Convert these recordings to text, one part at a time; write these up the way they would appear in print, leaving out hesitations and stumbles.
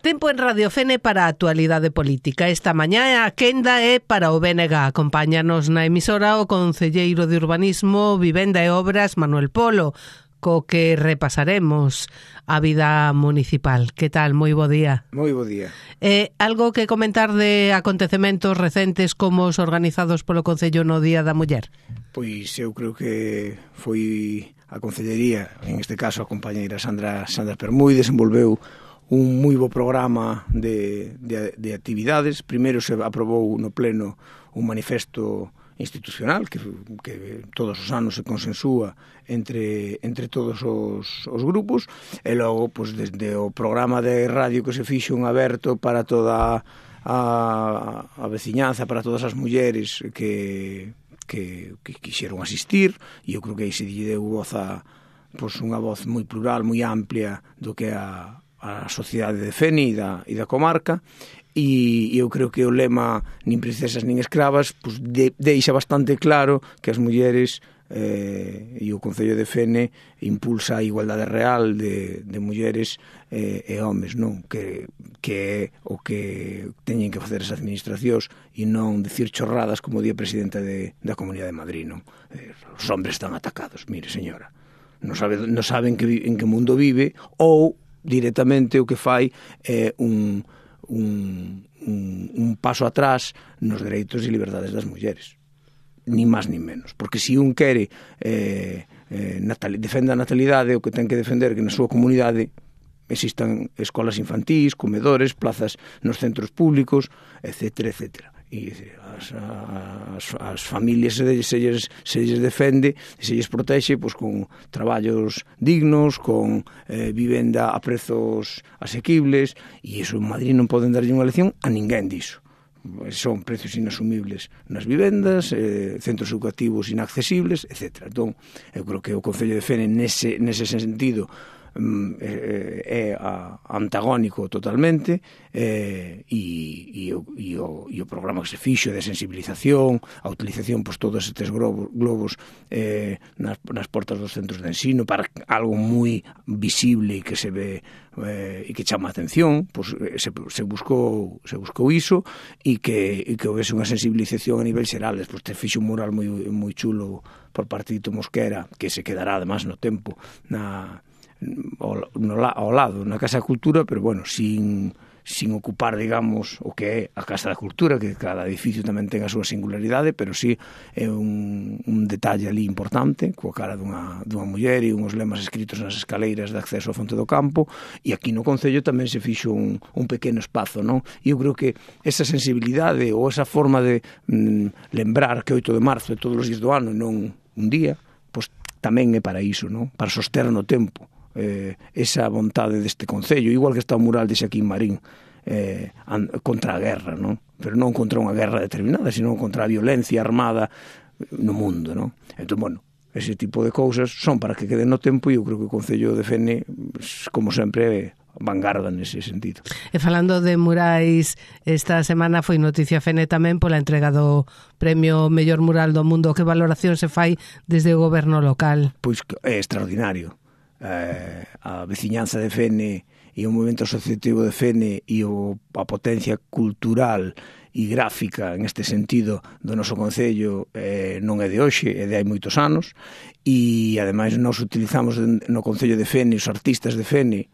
Tempo en Radio Fene para a actualidade política. Esta mañá a quenda é para o BNG. Acompáñanos na emisora o concelleiro de Urbanismo, Vivenda e Obras, Manuel Polo, co que repasaremos a vida municipal. Que tal? Moi bo día. Moi bo día. Algo que comentar de acontecementos recentes como os organizados polo Concello no Día da Muller? Pois eu creo que foi a Concellería, en este caso a compañeira Sandra Permui, desenvolveu un moi bo programa de actividades. Primeiro se aprobou no pleno un manifesto institucional que todos os anos se consensúa entre todos os grupos, e logo, pois, desde o programa de radio que se fixo un aberto para toda a veciñanza, para todas as mulleres que quixeron asistir, e eu creo que aí se lle deu voz a, pois, unha voz moi plural, moi amplia do que a sociedade de Fene e da comarca. E eu creo que o lema nin princesas nin escravas pois deixa bastante claro que as mulleres e o Concello de Fene impulsa a igualdade real de mulleres e homes, non? Que é o que teñen que facer as administracións e non dicir chorradas como di a presidenta da Comunidade de Madrid, non? Os hombres están atacados, mire señora, non saben en que mundo vive, ou directamente o que fai é un paso atrás nos dereitos e liberdades das mulleres, nin máis nin menos, porque se un quere defende a natalidade, o que ten que defender que na súa comunidade existan escolas infantís, comedores, plazas nos centros públicos, etcétera, etcétera. E as familias se lles defende e se lles protexe pois, con traballos dignos, con vivenda a prezos asequibles, e iso en Madrid non poden darlle unha lección a ninguén diso. Son precios inasumibles nas vivendas, centros educativos inaccesibles, etc. Entón, eu creo que o Concello de Fene nese sentido é antagónico totalmente, e o programa que se fixo de sensibilización, a utilización pois todos estes globos nas portas dos centros de ensino para algo moi visible e que se ve e que chama a atención, pois se buscou iso, e que houvese unha sensibilización a nivel xeral. Despois te fixo un mural moi chulo por parte de Tito Mosquera, que se quedará además no tempo ao lado, na Casa da Cultura, pero bueno, sin ocupar, digamos, o que é a Casa da Cultura, que cada edificio tamén ten a súa singularidade, pero sí é un detalle ali importante, coa cara dunha muller e uns lemas escritos nas escaleiras de acceso ao Fonte do Campo, e aquí no Concello tamén se fixo un pequeno espazo, non? E eu creo que esa sensibilidade ou esa forma de lembrar que 8 de marzo é todos os días do ano e non un día, pois tamén é para iso, non? Para soster no tempo esa vontade deste Concello, igual que está o mural de Xaquín Marín contra a guerra, non? Pero non contra unha guerra determinada, sino contra a violencia armada no mundo, non? Entón, bueno, ese tipo de cousas son para que queden no tempo, e eu creo que o Concello de Fene, como sempre, vanguarda nese sentido. E falando de murais, esta semana foi noticia Fene tamén pola entrega do premio Mellor Mural do Mundo. Que valoración se fai desde o goberno local? Pois é extraordinario. A veciñanza de Fene e o movimento asociativo de Fene e a potencia cultural e gráfica en este sentido do noso Concello non é de hoxe, é de hai moitos anos, e ademais nós utilizamos no Concello de Fene os artistas de Fene,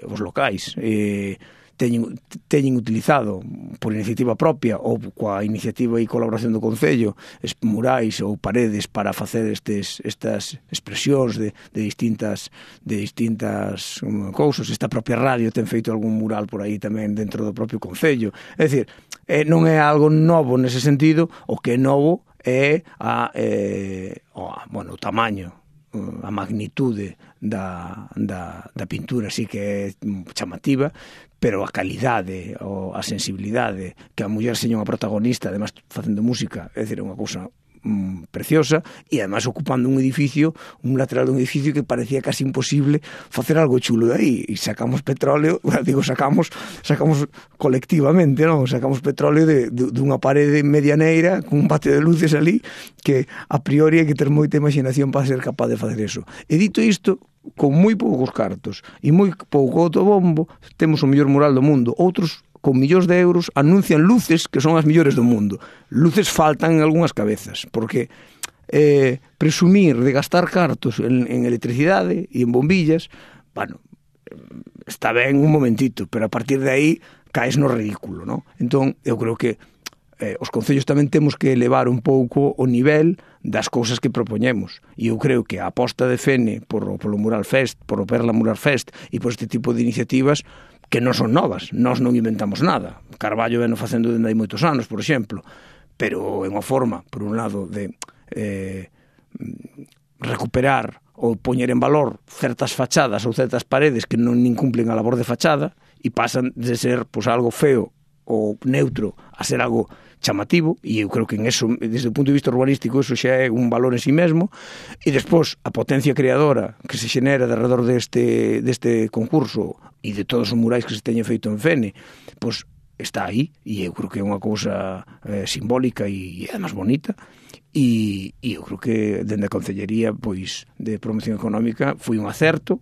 os locais, teñen utilizado por iniciativa propia ou coa iniciativa e colaboración do Concello murais ou paredes para facer estas expresións de distintas cousas. Esta propia radio ten feito algún mural por aí tamén dentro do propio Concello. É dicir, non é algo novo nese sentido. O que é novo é o tamaño, a magnitude da pintura, sí que é chamativa, pero a calidade ou a sensibilidade, que a muller seña unha protagonista, además facendo música, é dicir, unha cousa preciosa, e además ocupando un edificio, un lateral de un edificio que parecía casi imposible facer algo chulo de aí, e sacamos petróleo, sacamos colectivamente, non? Sacamos petróleo dunha parede medianeira con un patio de luces ali, que a priori hai que ter moita imaginación para ser capaz de facer eso. E dito isto, con moi poucos cartos e moi pouco autobombo, temos o mellor mural do mundo. Outros, con millóns de euros, anuncian luces que son as mellores do mundo. Luces faltan en algunhas cabezas, porque presumir de gastar cartos en electricidade e en bombillas, bueno, está ben un momentito, pero a partir de aí caes no ridículo, non? Entón, eu creo que os concellos tamén temos que elevar un pouco o nivel das cousas que propoñemos, e eu creo que a aposta de Fene polo Mural Fest, polo Perla Mural Fest e por este tipo de iniciativas que non son novas, nós non inventamos nada. Carballo veno facendo dende hai moitos anos, por exemplo, pero é unha forma, por un lado, de recuperar ou poñer en valor certas fachadas ou certas paredes que non nin cumplen a labor de fachada e pasan de ser algo feo ou neutro a ser algo chamativo, e eu creo que en eso, desde o punto de vista urbanístico, eso xa é un valor en sí mesmo. E despois a potencia creadora que se xenera alrededor deste concurso e de todos os murais que se teñen feito en Fene, pois está aí, e eu creo que é unha cousa simbólica e además bonita, e eu creo que dende a Concellería pois de Promoción Económica foi un acerto,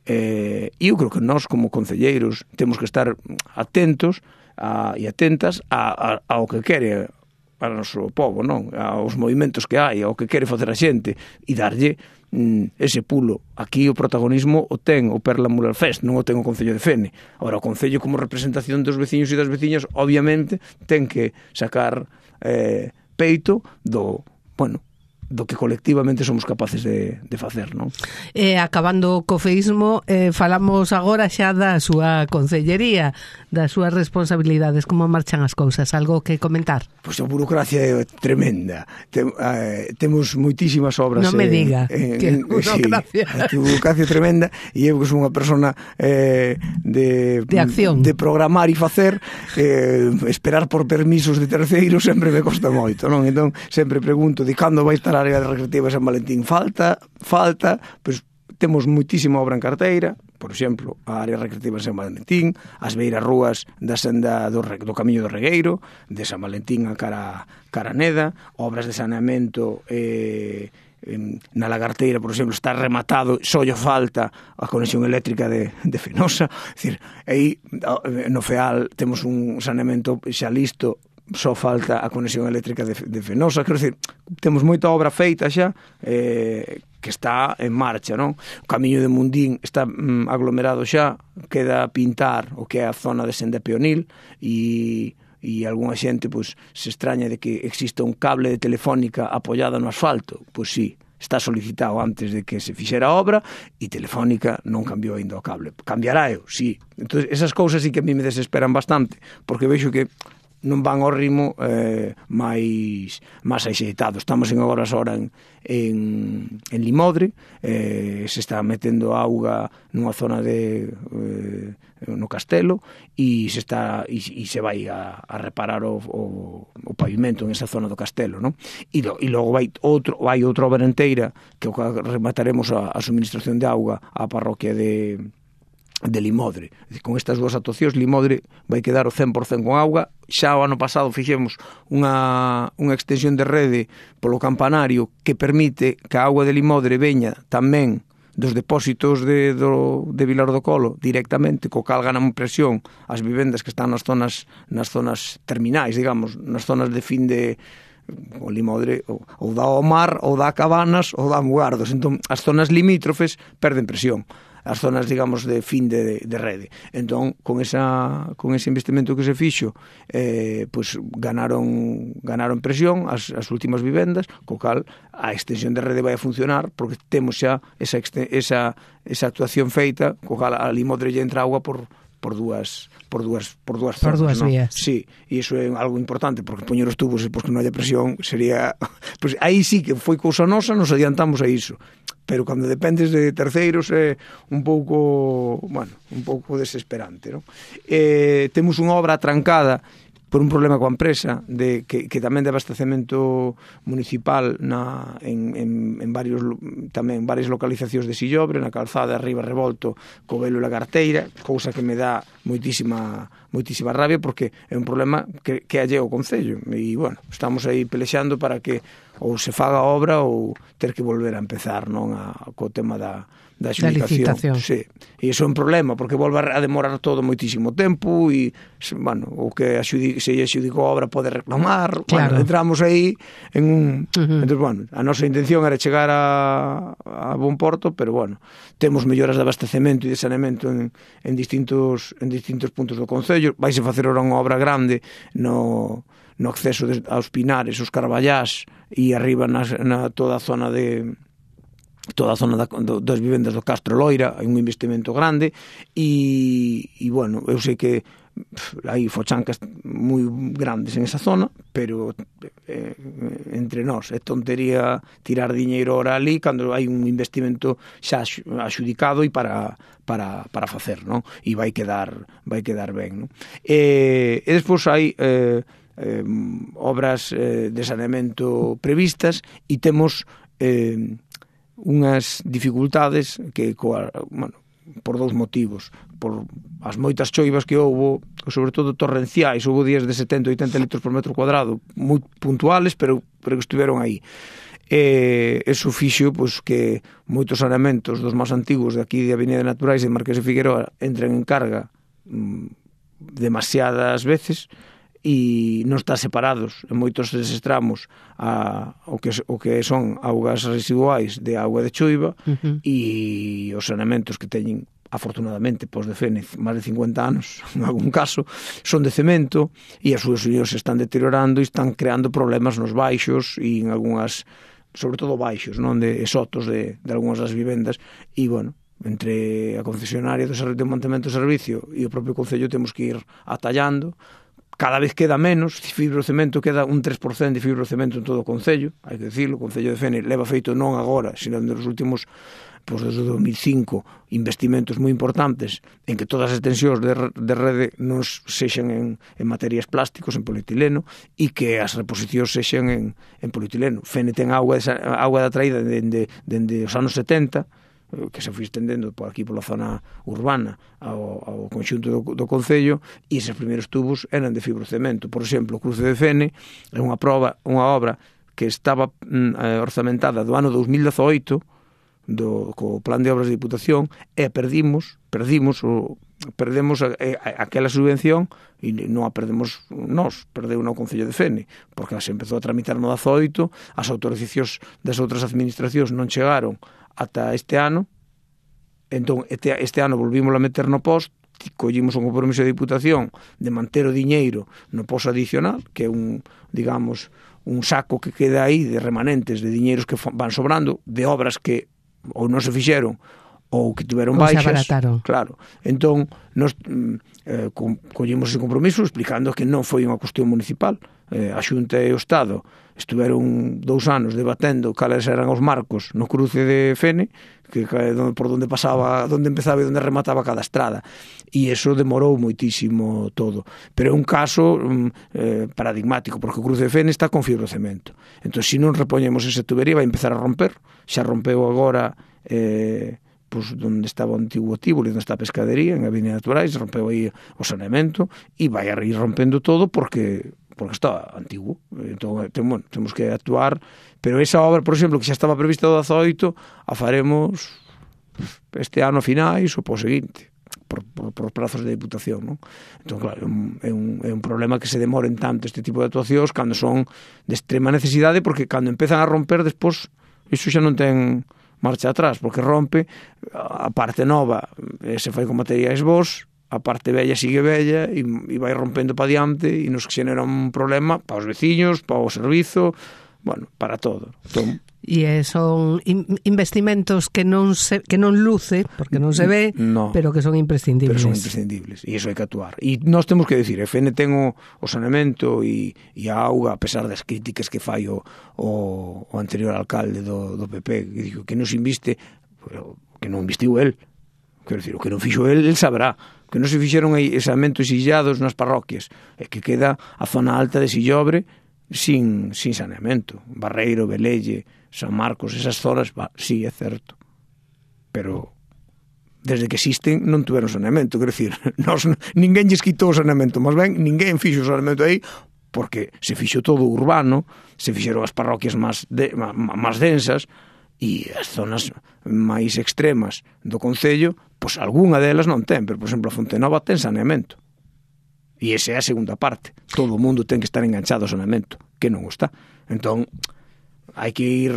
e eu creo que nós como concelleiros temos que estar atentos e atentas ao que quere para o noso povo, non? Aos movimentos que hai, ao que quere facer a xente, e darlle ese pulo. Aquí o protagonismo o ten o Perla Mural Fest, non o ten o Concello de Fene. Agora, o Concello como representación dos veciños e das veciñas, obviamente, ten que sacar peito do que colectivamente somos capaces de facer, non? Acabando co feísmo, falamos agora xa da súa concellería, das súas responsabilidades, como marchan as cousas, algo que comentar? Pois a burocracia é tremenda. Temos moitísimas obras. Non me diga que burocracia. Sí, a burocracia é tremenda, e eu que son unha persona de acción, de programar e facer, esperar por permisos de terceiros sempre me costa moito, non? Entón, sempre pregunto de cando vai estar a área recreativa de San Valentín. Falta, pois temos moitísima obra en carteira, por exemplo, a área recreativa de San Valentín, as beiras rúas da senda do Camiño do Regueiro, de San Valentín a cara Neda, obras de saneamento na Lagarteira, por exemplo, está rematado, só lle falta a conexión eléctrica de Fenosa. É dicir, aí no FEAL temos un saneamento xa listo, só falta a conexión eléctrica de Fenosa. Quero dicir, temos moita obra feita xa, que está en marcha, non? O Camiño de Mundín está aglomerado xa, queda pintar o que é a zona de senda peonil, e algunha xente pois se extraña de que exista un cable de Telefónica apoiado no asfalto. Pois sí, está solicitado antes de que se fixera a obra, e Telefónica non cambiou ainda o cable. Cambiará eu, sí. Entón, esas cousas sí que a mí me desesperan bastante, porque vexo que non van ao ritmo máis axeitado. Estamos en horas en Limodre, se está metendo auga nunha zona no Castelo, e se vai a reparar o pavimento en esa zona do Castelo, non? E logo vai outra obra enteira que remataremos a suministración de auga á parroquia de Limodre. Con estas dúas actuacións, Limodre vai quedar o 100% con auga. Xa o ano pasado fixemos unha extensión de rede polo campanario que permite que a auga de Limodre veña tamén dos depósitos de Vilar do Colo directamente, co cal ganan presión as vivendas que están nas zonas terminais, digamos, nas zonas de fin de o Limodre, ou dá ao mar, ou dá a Cabanas, ou dá a Mugardos. Entón, as zonas limítrofes perden presión, as zonas, digamos, de fin de rede. Entón, con ese investimento que se fixo, pois ganaron presión as últimas vivendas, co cal a extensión de rede vai a funcionar, porque temos xa esa actuación feita, co cal a Limodre lle entra auga por dúas zonas, vías. Sí, e iso é algo importante, porque poñer os tubos e pois que non haya presión sería, pois aí sí que foi cousa nosa, nos adiantamos a iso. Pero cando dependes de terceiros é un pouco desesperante, non? Temos unha obra atrancada por un problema coa empresa que tamén de abastecemento municipal en varios tamén varias localizacións de Sillobre, na calzada arriba revolto co Velo e la Carteira, cousa que me dá moitísima rabia porque é un problema que alleo ao Concello e, bueno, estamos aí pelexando para que ou se faga a obra ou ter que volver a empezar, non, co tema da xudicación. Sí. E iso é un problema, porque volve a demorar todo moitísimo tempo e, bueno, o que se xudicou a obra pode reclamar. Claro. Bueno, entramos aí en un... Entón, bueno, a nosa intención era chegar a bon porto, pero, bueno, temos melloras de abastecemento e de saneamento en distintos puntos do Concello. Vaise facer ahora unha obra grande no acceso aos Pinares, os Carballás e arriba na toda a zona das vivendas do Castro Loira, hai un investimento grande e bueno, eu sei que hai fochancas moi grandes en esa zona, pero entre nós é tontería tirar diñeiro ahora ali cando hai un investimento xa axudicado e para facer, non? E vai quedar ben, non? E despois hai obras de saneamento previstas e temos unhas dificultades que, bueno, por dous motivos, por as moitas choivas que houbo, sobre todo torrenciais, houbo días de 70-80 litros por metro cuadrado, moi puntuales, pero que estiveron aí. Eso fixo pois, que moitos saneamentos dos máis antigos de aquí de Avenida Naturais e Marqués de Figueroa entren en carga demasiadas veces e non están separados en moitos deses tramos o que son augas residuais de auga de choiva e os saneamentos que teñen afortunadamente pos de Fénix máis de 50 anos en algún caso son de cemento e as súas unións se están deteriorando e están creando problemas nos baixos e en algunhas, sobre todo baixos, non, de sotos de algunhas das vivendas e, bueno, entre a concesionaria do mantemento do servicio e o propio Concello temos que ir atallando. Cada vez queda menos, fibrocemento queda un 3% de fibrocemento en todo o Concello, hai que dicirlo, o Concello de Fénix leva feito non agora, sino nos últimos, desde 2005, investimentos moi importantes en que todas as extensións de rede non sexan en materias plásticos, en polietileno, e que as reposicións sexan en polietileno. Fénix ten auga de traída dende os anos 70, que se foi estendendo por aquí pola zona urbana ao conxunto do Concello e eses primeiros tubos eran de fibrocemento. Por exemplo, o Cruce de Fene é unha obra que estaba orzamentada do ano 2018 co plan de obras de Diputación e perdemos aquela subvención e non a perdemos nós, perdeu no Concello de Fene porque se empezou a tramitar no 18, as autorizacións das outras administracións non chegaron ata este ano, entón este ano volvimos a meter no post, collimos un compromiso de Diputación de manter o diñeiro no post adicional, que é un saco que queda aí de remanentes de diñeiros que van sobrando, de obras que ou non se fixeron ou que tiveron baixas. Claro. Entón, nos collimos ese compromiso explicando que non foi unha cuestión municipal. A Xunta e o Estado estiveron 2 anos debatendo cales eran os marcos no cruce de Fene, que por onde pasaba, onde empezaba e onde remataba cada estrada, e eso demorou moitísimo todo, pero é un caso paradigmático, porque o cruce de Fene está con fibrocemento, entón se non repoñemos esa tubería vai empezar a romper, xa rompeu agora onde estaba o antigo Tívoli, onde está a pescadería, en Avenida Naturais, rompeu aí o saneamento e vai a ir rompendo todo porque está antigo. Entón, temos que actuar, pero esa obra, por exemplo, que xa estaba prevista do 18, a faremos este ano a finais ou po seguinte, por prazos de Diputación, non? Entón, claro, é un problema que se demoren tanto este tipo de actuacións cando son de extrema necesidade, porque cando empezan a romper, despois, iso xa non ten marcha atrás, porque rompe a parte nova, se fai con materiais bons, a parte bella sigue bella e vai rompendo para diante e nos xenera un problema para os veciños, para o servizo, bueno, para todo. Entón, E son investimentos que non luce, porque non se ve, pero que son imprescindibles. Pero son imprescindibles, e iso hai que actuar. E nós temos que decir, FN ten o saneamento e a auga, a pesar das críticas que fai o anterior alcalde do PP, que digo que non se inviste, pero que non investiu el. Quero dicir, o que non fixo el sabrá, que non se fixeron aí saneamentos illados nas parroquias, e que queda a zona alta de Sillobre sin saneamento. Barreiro, Velelle, San Marcos, esas zonas, sí, é certo, pero desde que existen non tuveron saneamento. Quero dicir, ninguén lles quitou o saneamento, mas ben, ninguén fixo o saneamento aí, porque se fixo todo urbano, se fixeron as parroquias máis densas, e as zonas máis extremas do concello, pois algunha delas non ten, pero, por exemplo, a Fontenova ten saneamento. E esa é a segunda parte. Todo o mundo ten que estar enganchado ao saneamento, que non o está. Entón, hai que ir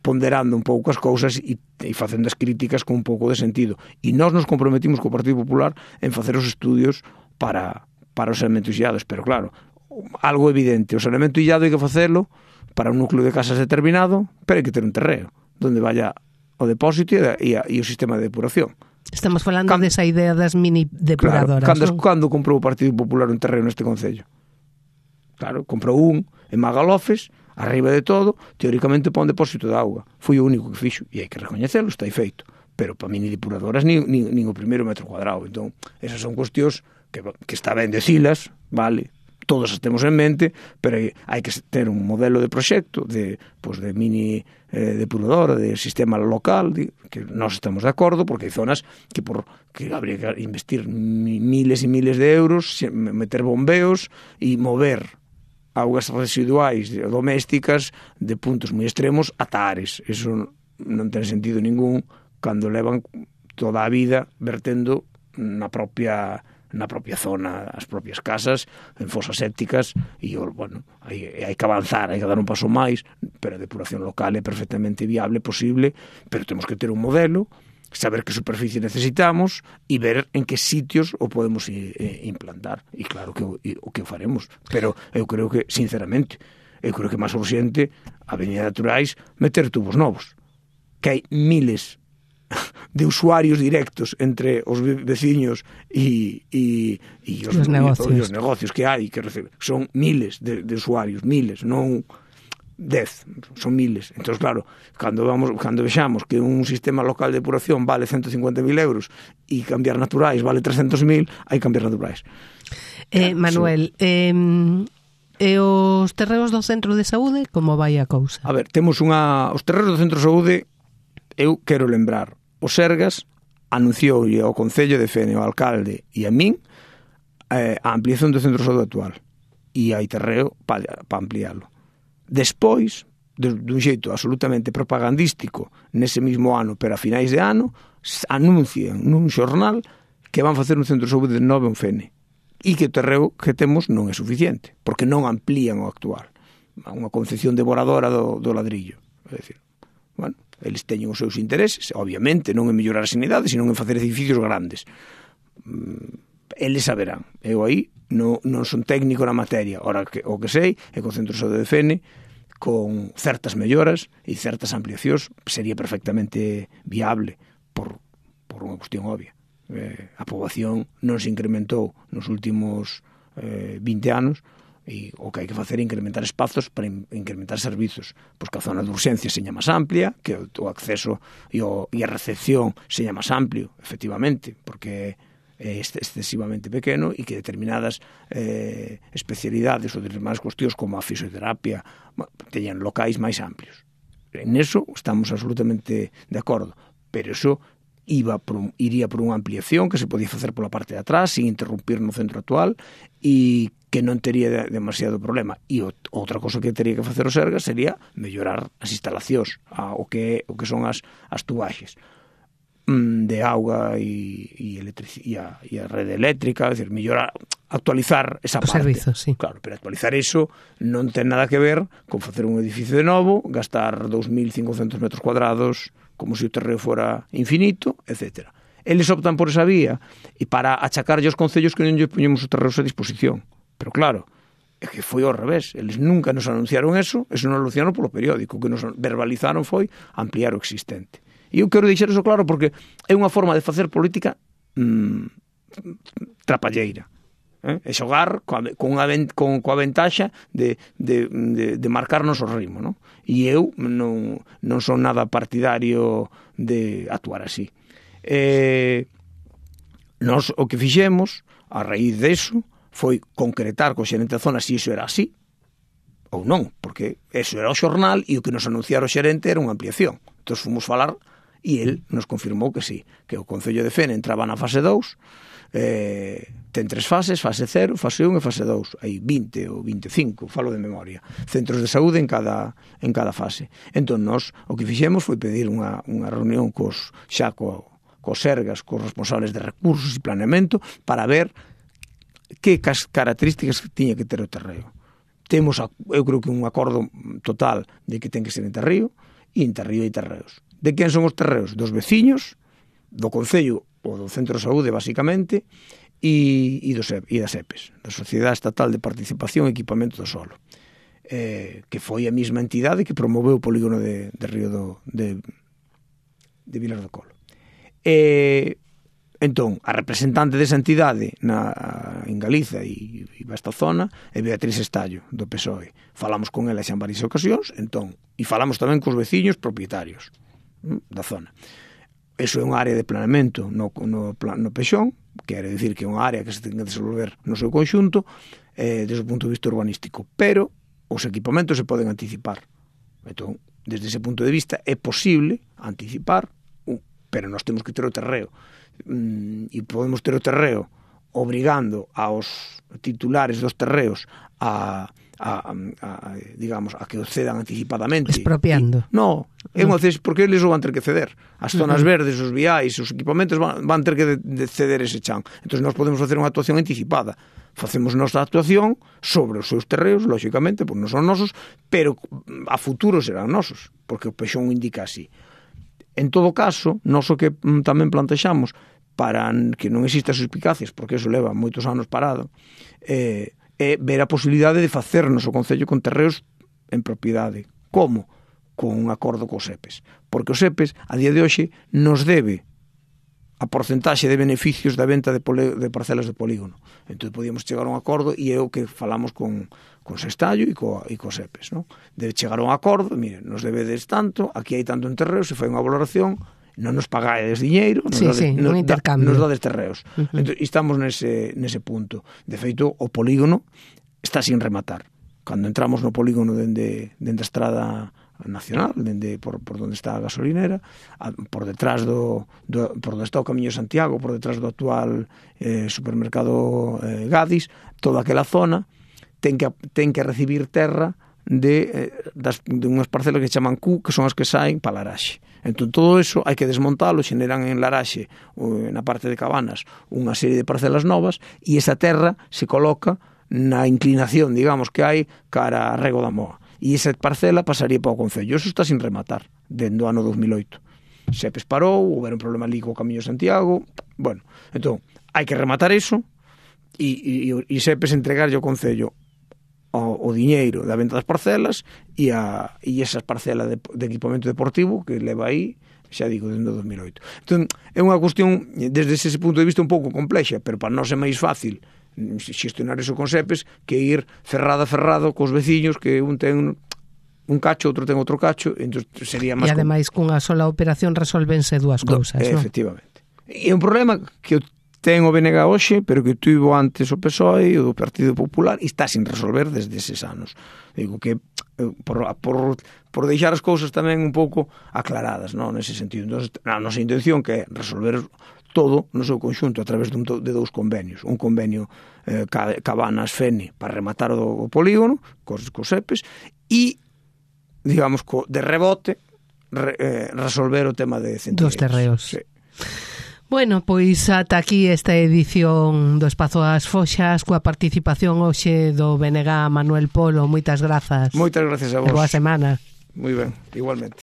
ponderando un pouco as cousas e facendo as críticas con un pouco de sentido. E nós nos comprometimos co Partido Popular en facer os estudios para os saneamentos illados. Pero, claro, algo evidente, o saneamento illado hai que facelo para un núcleo de casas determinado, pero hai que ter un terreo donde vaya o depósito e o sistema de depuración. Estamos falando desa idea das mini depuradoras. Claro, cando comprou o Partido Popular un terreno neste concello? Claro, comprou un en Magalofes, arriba de todo, teóricamente para un depósito de auga. Foi o único que fixo, e hai que recoñecelo, está aí feito. Pero para mini depuradoras nin o primeiro metro cuadrado. Entón, esas son cuestións que está ben decilas, vale, todos as temos en mente, pero hai que ter un modelo de proxecto de mini depuradora, de sistema local, que nós estamos de acordo, porque hai zonas que habría que investir miles e miles de euros, meter bombeos e mover augas residuais domésticas de puntos moi extremos ata Ares. Eso non ten sentido ningún cando levan toda a vida vertendo na propia zona, as propias casas, en fosas sépticas, e, bueno, hai que avanzar, hai que dar un paso máis, pero a depuración local é perfectamente viable, posible, pero temos que ter un modelo, saber que superficie necesitamos e ver en que sitios o podemos implantar. E claro que o que faremos, pero eu creo que, sinceramente, eu creo que máis urxente, a Avenida Naturais, meter tubos novos, que hai miles de usuarios directos entre os veciños e os negocios que hai, que son miles de usuarios, miles, non 10, son miles. Entón, claro, cando vexamos que un sistema local de depuración vale 150.000 euros e cambiar Naturais vale 300.000, hai que cambiar Naturais. Manuel, e os terreos do centro de saúde, como vai a cousa? A ver, temos os terreos do centro de saúde, eu quero lembrar, o Sergas anunciou ao Concello de Fene, ao alcalde e a min, a ampliación do centro de saúde actual, e hai terreo para ampliálo. Despois, dun xeito absolutamente propagandístico, nese mismo ano, pero a finais de ano, anuncian nun xornal que van facer un centro de saúde novo en Fene, e que o terreo que temos non é suficiente, porque non amplían o actual. Unha concepción devoradora do ladrillo. É dicir, bueno, eles teñen os seus intereses, obviamente, non en mellorar a sanidade, senón en facer edificios grandes. Eles saberán. Eu aí non son técnico na materia. Ora, o que sei é que o Centro de Saúde de Fene, con certas melloras e certas ampliacións, sería perfectamente viable por unha cuestión obvia. A poboación non se incrementou nos últimos 20 anos, e o que hai que facer é incrementar espazos para incrementar servizos, pois que a zona de urxencia seña máis amplia, que o acceso e a recepción seña máis amplio, efectivamente, porque é excesivamente pequeno, e que determinadas especialidades ou determinadas cuestións como a fisioterapia teñan locais máis amplios. En eso estamos absolutamente de acordo, pero eso iría por unha ampliación que se podía facer pola parte de atrás sin interrumpir no centro actual, e que non tería demasiado problema. E outra cosa que teria que facer o Sergas sería mellorar as instalacións, o que son as tubaxes de auga e a rede eléctrica, é dicir, mellorar, actualizar esa parte. Servizo, sí. Claro, pero actualizar eso non ten nada que ver con facer un edificio de novo, gastar 2.500 metros cuadrados como se o terreo fora infinito, etc. Eles optan por esa vía e para achacarlle aos concellos que non lle poñemos os terreos a disposición. Pero claro, é que foi ao revés. Eles nunca nos anunciaron eso non lo anunciaron polo periódico. O que nos verbalizaron foi ampliar o existente. E eu quero deixar eso claro porque é unha forma de facer política trapalleira. E xogar coa ventaxa de marcarnos o ritmo, non? E eu non son nada partidario de actuar así. Nós o que fixemos, a raíz deso, foi concretar co xerente da zona se iso era así ou non, porque eso era o xornal e o que nos anunciara o xerente era unha ampliación. Entón fomos falar e el nos confirmou que sí, que o Concello de Fene entraba na fase 2, ten 3 fases, fase 0, fase 1 e fase 2. Hai 20 ou 25, falo de memoria, centros de saúde en cada fase. Entón nós o que fixemos foi pedir unha reunión cos sergas, cos responsables de recursos e planeamento para ver que características tiña que ter o terreo. Temos, eu creo que un acordo total de que ten que ser en terreo, e en terreo hai terreos. De quen son os terreos? Dos veciños, do Concello ou do Centro de Saúde, basicamente, e das EPES, da Sociedade Estatal de Participación e Equipamento do Solo, que foi a mesma entidade que promoveu o polígono de Río de Vilar do Colo. Entón, a representante desa entidade en Galiza e esta zona é Beatriz Estallo, do PSOE. Falamos con ela xa en varias ocasións, entón, e falamos tamén cos veciños propietarios da zona. Eso é unha área de planeamento no Pexón, quere dicir que é unha área que se ten que desenvolver no seu conxunto desde o punto de vista urbanístico, pero os equipamentos se poden anticipar. Entón, desde ese punto de vista é posible anticipar, pero nós temos que ter o terreo, e podemos ter o terreo obrigando aos titulares dos terreos digamos, a que o cedan anticipadamente. Expropiando. Non, porque eles o van ter que ceder. As zonas verdes, os viais, os equipamentos van ter que ceder ese chan. Entón nós podemos facer unha actuación anticipada. Facemos nosa actuación sobre os seus terreos, lógicamente, porque non son nosos, pero a futuro serán nosos, porque o Pexón indica así. En todo caso, nós o que tamén plantexamos para que non exista suspicacias, porque eso leva moitos anos parado, é ver a posibilidade de facernos o Concello con terreos en propiedade. Como? Con un acordo cos EPES. Porque os EPES, a día de hoxe, nos debe a porcentaxe de beneficios da venta de parcelas de polígono. Entón, podíamos chegar a un acordo e é o que falamos con Sestallo e cos EPES, non? Debe chegar a un acordo, mire, nos debedes tanto, aquí hai tanto en terreos, se fai unha valoración, non nos pagades diñeiro, nos dades terreos. Entón, estamos nese punto. De feito, o polígono está sin rematar. Cando entramos no polígono dende a estrada nacional, por donde está a gasolinera, por detrás por donde está o Camiño de Santiago, por detrás do actual supermercado Gadis, toda aquela zona ten que recibir terra de unhas parcelas que chaman Q, que son as que saen para Laraxe. Entón, todo eso hai que desmontalo, xeneran en Laraxe, na parte de Cabanas, unha serie de parcelas novas, e esa terra se coloca na inclinación, digamos, que hai cara a Rego da Moa. E esa parcela pasaría para o Concello. Eso está sin rematar, dende o ano 2008. Sepes parou, houve un problema ali co Camiño de Santiago, bueno, entón, hai que rematar eso, e Sepes entregarlle ao Concello o diñeiro da venta das parcelas e esas parcelas de equipamento deportivo que leva aí, xa digo, dende o 2008. Entón, é unha cuestión, desde ese punto de vista, un pouco complexa, pero para nós é máis fácil xestionar eso con Sepes que ir ferrado cos veciños, que un ten un cacho, outro ten outro cacho, entón sería máis... E ademais, cunha sola operación resolvense dúas cousas, non? Efectivamente. E é un problema que ten o BNG hoxe, pero que tuvo antes o PSOE e o do Partido Popular, e está sin resolver desde eses anos. Digo que por deixar as cousas tamén un pouco aclaradas, non, nese sentido. Entón, a nosa intención que é resolver todo no seu conxunto a través de 2 convenios. Un convenio Cabanas Fene para rematar o polígono cos EPES e, digamos, de rebote resolver o tema de centros dos terreos. Sí. Bueno, pois ata aquí esta edición do Espazo das Foxas coa participación hoxe do BNG Manuel Polo. Moitas grazas. Moitas grazas a vos. E boa semana. Moi ben, igualmente.